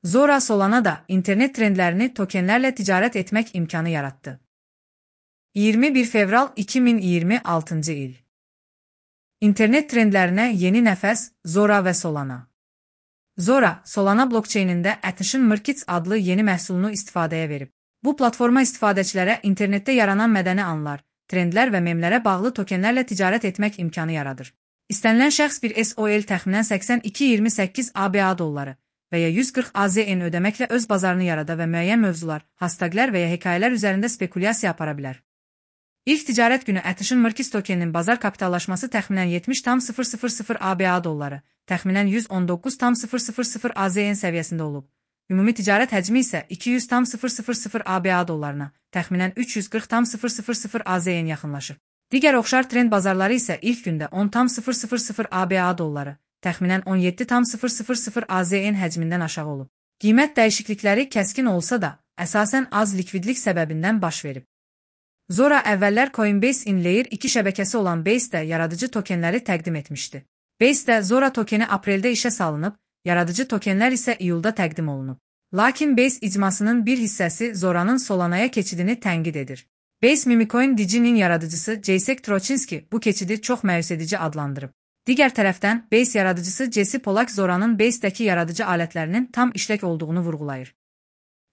Zora Solana da internet trendlərini tokenlərlə ticarət etmək imkanı yarattı. 21 fevral 2026 il. İnternet trendlərinə yeni nəfəs Zora və Solana. Zora, Solana blokçeynində Attention Markets adlı yeni məhsulunu istifadəyə verib. Bu platforma istifadəçilərə internetdə yaranan mədəni anlar, trendlər və memlərə bağlı tokenlərlə ticarət etmək imkanı yaradır. İstənilən şəxs bir SOL təxminən 82-28 ABA dolları və ya 140 AZN ödəməklə öz bazarını yarada və müəyyən mövzular, hashtaglər və ya hekayələr üzərində spekulyasiya apara bilər. İlk ticarət günü Attention Markets tokeninin bazar kapitallaşması təxminən 70,000 ABA dolları, təxminən 119,000 AZN səviyyəsində olub. Ümumi ticarət həcmi isə 200,000 ABA dollarına, təxminən 340,000 AZN yaxınlaşıb. Digər oxşar trend bazarları isə ilk gündə 10,000 ABA dolları, təxminən 17,000 AZN həcmindən aşağı olub. Qiymət dəyişiklikləri kəskin olsa da, əsasən az likvidlik səbəbindən baş verib. Zora əvvəllər Coinbase in Layer 2 şəbəkəsi olan Base-də yaradıcı tokenləri təqdim etmişdi. Base-də Zora tokeni apreldə işə salınıb, yaradıcı tokenlər isə iyulda təqdim olunub. Lakin Base icmasının bir hissəsi Zora'nın Solana'ya keçidini tənqid edir. Base Mimicoin DG'nin yaradıcısı Jacek Trochinski bu keçidi çox məyus edici adlandırıb. Digər tərəfdən, Base yaradıcısı Jesse Polak Zora'nın Base-dəki yaradıcı alətlərinin tam işlək olduğunu vurğulayır.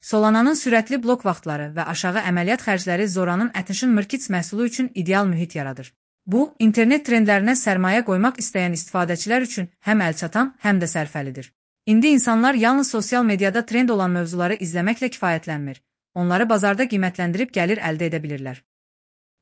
Solana'nın sürətli blok vaxtları və aşağı əməliyyat xərcləri Zora'nın Attention Markets məhsulu üçün ideal mühit yaradır. Bu, internet trendlərinə sərmayə qoymaq istəyən istifadəçilər üçün həm əlçatan, həm də sərfəlidir. İndi insanlar yalnız sosial mediada trend olan mövzuları izləməklə kifayətlənmir. Onları bazarda qiymətləndirib gəlir əldə edə bilirlər.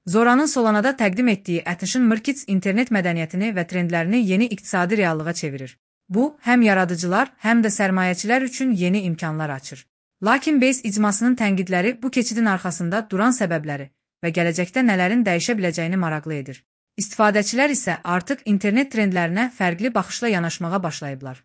Zora'nın Solana'da təqdim etdiyi Attention Markets internet mədəniyyətini və trendlərini yeni iqtisadi reallığa çevirir. Bu, həm yaradıcılar, həm də sərmayəçilər üçün yeni imkanlar açır. Lakin Base icmasının tənqidləri bu keçidin arxasında duran səbəbləri və gələcəkdə nələrin dəyişə biləcəyini maraqlı edir. İstifadəçilər isə artıq internet trendlərinə fərqli baxışla yanaşmağa başlayıblar.